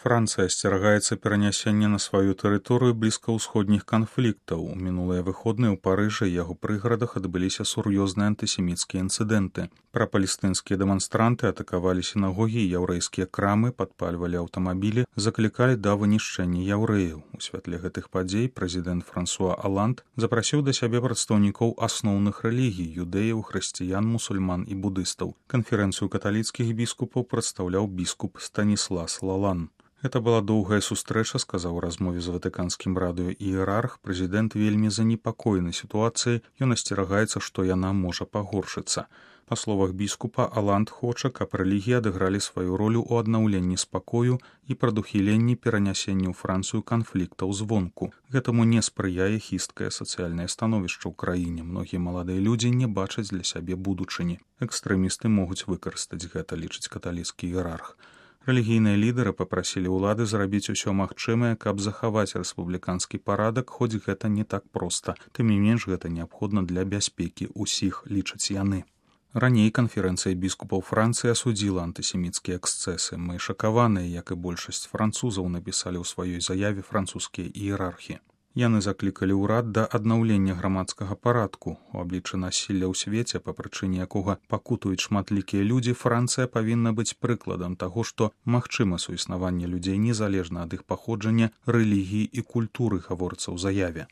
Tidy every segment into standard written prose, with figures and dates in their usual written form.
Францыя асцерагаецца перанясення на сваю тэрыторыю блізкаўсходніх канфліктаў. У мінулыя выходныя ў Парыжы і яго прыгарадах адбыліся сур'ёзныя антысеміцкія інцыдэнты. Прапалестынскія дэманстранты атакавалі сінагогі і яўрэйскія крамы, падпальвалі аўтамабілі, заклікалі да вынішчэння яўрэяў. У святле гэтых падзей прэзідэнт Франсуа Аланд запрасіў да сябе прадстаўнікоў асноўных рэлігій – юдэяў, хрысціян, мусульман і будыстаў. Канферэнцыю каталіцкіх біскупаў прадстаўляў біскуп Станіслас Лалан. Гэта была доўгая сустрэча, сказаў у размове з ватыканскім радыё іерарх. Прэзідэнт вельмі занепакоены сітуацыяй, ён асцерагаецца, што яна можа пагоршыцца. Па словах біскупа, Аланд хоча, каб рэлігіі адыгралі сваю ролю ў аднаўленні спакою і прадухіленні перанясення ў Францыю канфліктаў звонку. Гэтаму не спрыяе хісткае сацыяльнае становішча ў краіне. Многія маладыя людзі не бачаць для сябе будучыні. Экстрэмісты могуць выкарыстаць гэта, лічыць каталіцкі іерарх. Рэлігійныя лідары папрасілі ўлады зрабіць усё магчымае, каб захаваць рэспубліканскі парадак, хоць гэта не так проста. Тым не менш, гэта неабходна для бяспекі ўсіх, лічаць яны. Раней канферэнцыя біскупаў Францыі асудзіла антысеміцкія эксцэсы. Мы шакаваныя, як і большасць французаў, напісалі ў сваёй заяве французскія іерархі. Яны заклікалі ўрад да аднаўлення грамадскага парадку. У абліччы насілля ў свеце, па прычыне якога пакутуюць шматлікія людзі, Францыя павінна быць прыкладам таго, што магчыма суіснаванне людзей незалежна ад іх паходжання, рэлігіі і культуры, гаворыцца ў заяве.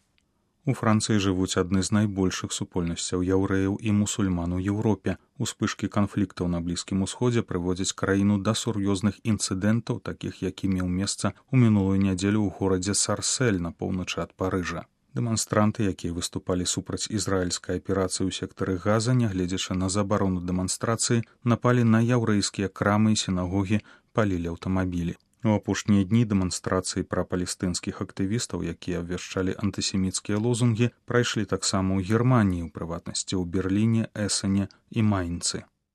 У Францыі жывуць адны з найбольшых супольнасцяў яўрэяў і мусульман у Еўропе. Успышкі канфліктаў на Блізкім Усходзе прыводзяць краіну да сур'ёзных інцыдэнтаў, такіх як і меў месца ў мінулую нядзелю ў горадзе Сарсель на поўначы ад Парыжа. Дэманстранты, якія выступалі супраць ізраільскай аперацыі ў сектары Газа, нягледзячы на забарону дэманстрацыі, напалі на яўрэйскія крамы і сінагогі, палілі аўтамабілі. У апошнія дні дэманстрацыі прапалестынскіх актывістаў, якія абвяшчалі антысеміцкія лозунгі, прайшлі таксама ў Германіі, у прыватнасці ў Берліне, Эсене і Майнцы.